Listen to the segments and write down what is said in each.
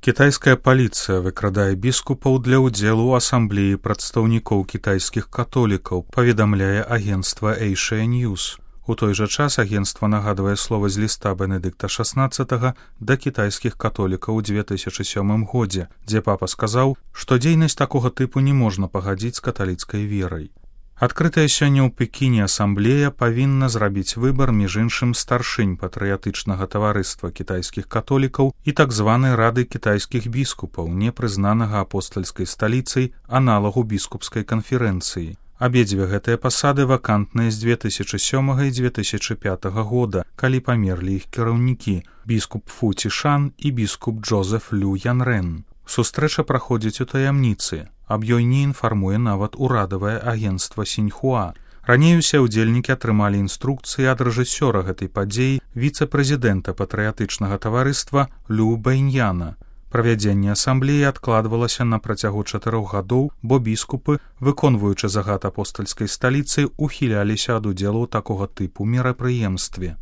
Кітайская паліцыя выкрадае біскупаў для ўдзелу ў асамблеі прадстаўнікоў кітайскіх католікаў, паведамляе агенцтва Asia News. У той жа час агенцтва нагадвае слова з ліста Бенедыкта XVI да кітайскіх католікаў у 2007 годзе, дзе папа сказаў, што дзейнасць такога тыпу не можна пагадзіць з каталіцкай верай. Адкрытая сёння ў Пекіне асамблея павінна зрабіць выбар між іншым старшынь патрыятычнага таварыства кітайскіх католікаў і так званай рады кітайскіх біскупаў, непрызнанага апостальскай сталіцай аналагу біскупскай канферэнцыі. Абедзве гэтыя пасады вакантныя з 2007 і 2005 года, калі памерлі іх кіраўнікі біскуп Фу Цішан і біскуп Джозеф Лю Янрэн. Сустрэча праходзіць у таямніцы. Аб ёй не інфармуе нават урадавае агенцтва Сіньхуа. Раней усе ўдзельнікі атрымалі інструкцыі ад рэжысёра гэтай падзеі віцэ-прэзідэнта патрыятычнага таварыства Лю Бэйньяна. Правядзенне асамблеі адкладвалася на працягу 4 гадоў, бо біскупы, выконваючы загад апостальскай сталіцы, ухіляліся ад удзелу ў такога тыпу мерапрыемстве.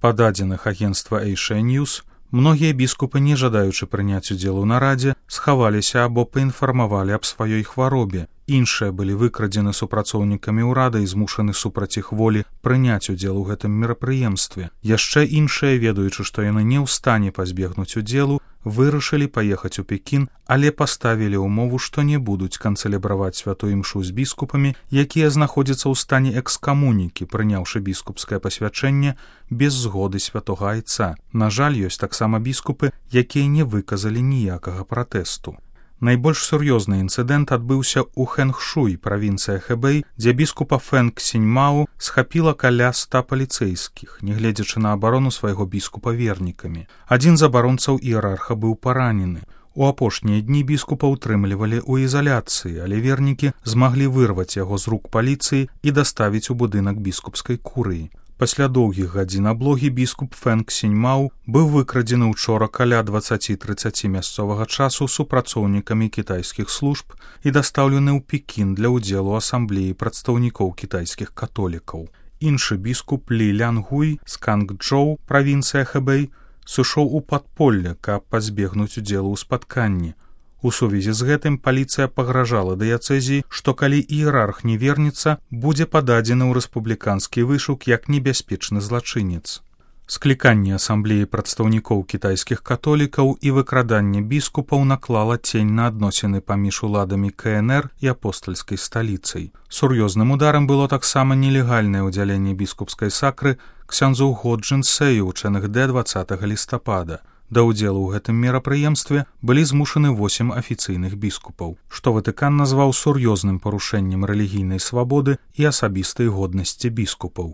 Па дадзеных агенцтва Asia News, многія біскупы, не жадаючы прыняць удзел у нарадзе, схаваліся або паінфармавалі аб сваёй хваробе. Іншыя былі выкрадзены супрацоўнікамі ўрада і змушаны супраць іх волі прыняць удзел у гэтым мерапрыемстве. Яшчэ іншыя, ведаючы, што яны не ў стане пазбегнуць удзелу, вырашылі паехаць у Пекін, але паставілі ўмову, што не будуць канцэлебраваць святую імшу з біскупамі, якія знаходзяцца ў стане экскамунікі, прыняўшы біскупскае пасвячэнне без згоды святога айца. На жаль, ёсць таксама біскупы, якія не выказалі ніякага пратэсту. Найбольш сур'ёзны інцыдэнт адбыўся ў Хэнхшуй, правінцыя Хэбэй, дзе біскупа Фэнг Сіньмао схапіла каля 100 паліцэйскіх, нягледзячы на абарону свайго біскупа вернікамі. Адзін з абаронцаў іерарха быў паранены. У апошнія дні біскупа ўтрымлівалі ў ізаляцыі, але вернікі змаглі вырваць яго з рук паліцыі і даставіць у будынак біскупскай курыі. Пасля доўгіх гадзін аблогі біскуп Фэнг Сіньмао быў выкрадзены ўчора каля 20:30 мясцовага часу супрацоўнікамі кітайскіх служб і дастаўлены ў Пекін для ўдзелу асамблеі прадстаўнікоў кітайскіх католікаў. Іншы біскуп Лі Лянгуй з Кангчжоу, правінцыя Хэбэй, сышоў у падполле, каб пазбегнуць удзелу ў спатканні. У сувязі з гэтым паліцыя пагражала дыяцэзіі, што калі іерарх не вернецца, будзе пададзены ў рэспубліканскі вышук як небяспечны злачынец. Скліканне асамблеі прадстаўнікоў кітайскіх католікаў і выкраданне біскупаў наклала цень на адносіны паміж уладамі КНР і апостальскай сталіцай. Сур'ёзным ударам было таксама нелегальнае ўдзяленне біскупскай сакры ксяндзу Го Джын Сэю ў ЧНГД 20 лістапада. Да ўдзелу ў гэтым мерапрыемстве былі змушаны 8 афіцыйных біскупаў, што Ватыкан назваў сур'ёзным парушэннем рэлігійнай свабоды і асабістай годнасці біскупаў.